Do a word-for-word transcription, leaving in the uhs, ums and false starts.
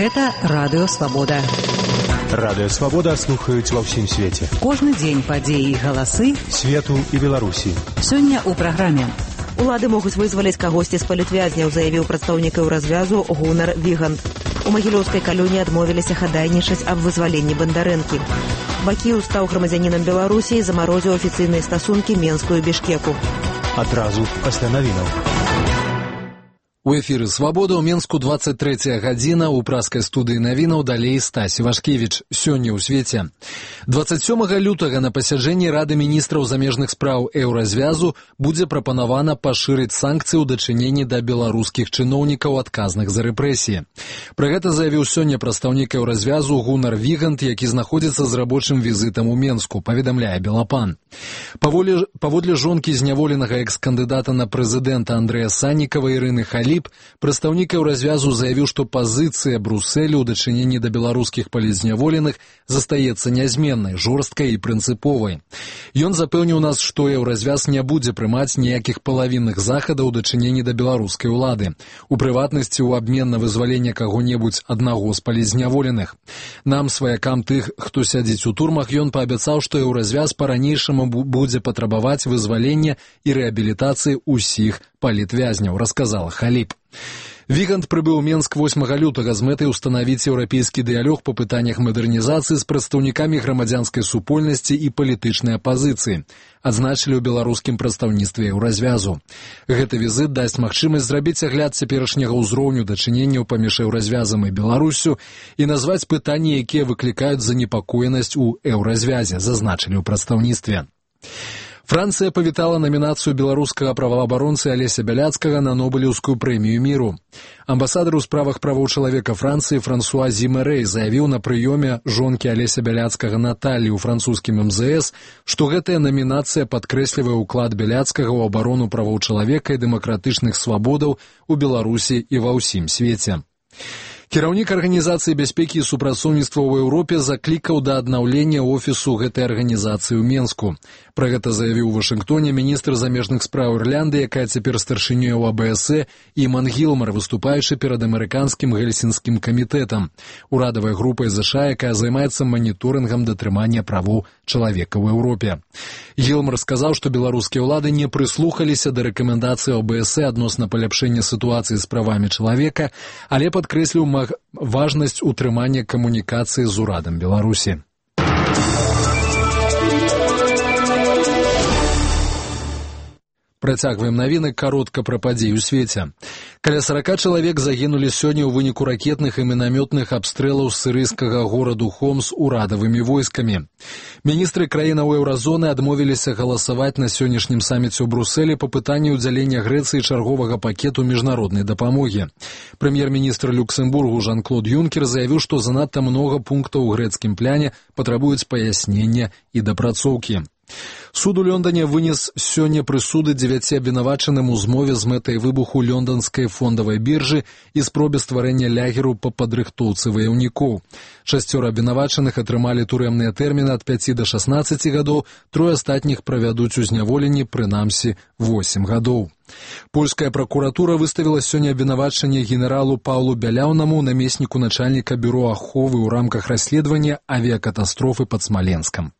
Гэта Радыё Свабода. Радыё Свабода слухаюць ва ўсім свеце. Кожны дзень падзеі і галасы свету і Беларусі. Сёння ў праграме. Улады могуць вызваліць кагосьці з палітвязняў, заявіў прадстаўнік Еўразвязу Гунар Вігант. У магілёўскай калоніі адмовіліся хадайнічаць аб вызваленні Бандарэнкі. Бакіў стаў грамадзянінам Беларусі і замарозіў афіцыйныя стасункі Менску і Бішкеку. Адразу пасля навінаў. У эфіры «Свабода» ў Менску двадцать трэцяя гадзіна, у праскай студыі навінаў далей Стась Івашкевіч. Сёння ў свеце. двадцать сёмага лютага на пасяджэнні Рады міністраў замежных спраў Еўразвязу будзе прапанавана пашырыць санкцыі ў дачыненні да беларускіх чыноўнікаў адказных за рэпрэсіі. Пра гэта заявіў сёння прадстаўнік Еўразвязу Гунар Вігант, які знаходзіцца з рабочым візітам у Менску, паведамляе Белапан. Паводле, паводле жонкі зняволенага экс-кандыдата на прэзідэнта Андрэя Саннікава Ірыны Халі, прадстаўнік Еўразвязу заявіў, што пазіцыя Брусэлю ў дачыненні да беларускіх палітзняволеных застаецца нязменнай, жорсткай і прынцыповай. Ён запэўніў нас, што Еўразвяз не будзе прымаць ніякіх палавінных захадаў у дачыненні да беларускай улады, у прыватнасці ў абмен на вызваленне каго-небудзь аднаго з палітзняволеных. Нам, сваякам тых, хто сядзіць у турмах, ён паабяцаў, што Еўразвяз па-ранейшаму будзе патрабаваць вызвалення і рэабілітацыі ўсіх палітвязняў, расказала Халіп. Вігант прыбыў у Менск восьмага лютага з мэтай устанавіць еўрапейскі дыялог па пытаннях мадэрнізацыі з прадстаўнікамі грамадзянскай супольнасці і палітычнай апазіцыі, адзначылі ў беларускім прадстаўніцтве Еўразвязу. Гэты візіт дасць магчымасць зрабіць агляд цяперашняга ўзроўню дачыненняў паміж Еўразвязам і Беларуссю і назваць пытанні, якія выклікаюць занепакоенасць у Еўразвязе, зазначылі ў прадстаўніцтве. Францыя павітала намінацыю беларускага праваабаронцы Алеся Бяляцкага на Нобелеўскую прэмію міру. Амбасадар у справах правоў чалавека Францыі Франсуа Зімэрэй заявіў на прыёме жонкі Алеся Бяляцкага Наталлі ў французскім эм зэ эс, што гэтая намінацыя падкрэслівае ўклад Бяляцкага ў абарону правоў чалавека і дэмакратычных свабодаў у Беларусі і ва ўсім свеце. Кіраўнік Арганізацыі бяспекі і супрацоўніцтва ў Еўропе заклікаў да аднаўлення офісу гэтай арганізацыі ў Менску. Пра гэта заявіў у Вашынгтоне міністр замежных спраў Ірландыі, якая цяпер старшынёй у а бэ эс э, Іман Гілмар, выступаючы перад амерыканскім гельсінскім камітэтам, урадавай групай ЗША, якая займаецца маніторынгам датрымання правоў чалавека ў Еўропе. Гілмар сказаў, што беларускія ўлады не прыслухаліся да рэкамендацый а бэ эс э адносна паляпшэння сітуацыі з правамі чалавека, але падкрэсліў важнасць утрымання камунікацыі з урадам Беларусі. Працягваем навіны каротка пра падзеі ў свеце. Каля сорока чалавек загінулі сёння ў выніку ракетных і мінамётных абстрэлаў сірыйскага гораду Хомс урадавымі войскамі. Міністры краінаў Еўразоны адмовіліся галасаваць на сённяшнім саміце ў Брусэлі па пытанні ўдзялення Грэцыі чарговага пакету міжнароднай дапамогі. Прэм'ер-міністр Люксембургу Жан-Клод Юнкер заявіў, што занадта многа пунктаў у грэцкім пляне патрабуюць паяснення і дапрацоўкі. Суд у Лондоне вынес сёння прысуды дзевяці абвінавачаным у змове з мэтай выбуху лондонскай фондавай біржы і спробе стварэння лягеру па падрыхтоўцы ваяўнікоў. Шасцёра абвінавачаных атрымалі турэмныя тэрміны ад пяці да шаснаццаці гадоў, трое астатніх правядуць у зняволенні, прынамсі, восем гадоў. Польская пракуратура выставіла сёння абвінавачанне генералу Паўлу Бяляўнаму, намесніку начальніка бюро аховы ў рамках расследавання авіякатастрофы пад Смаленскам.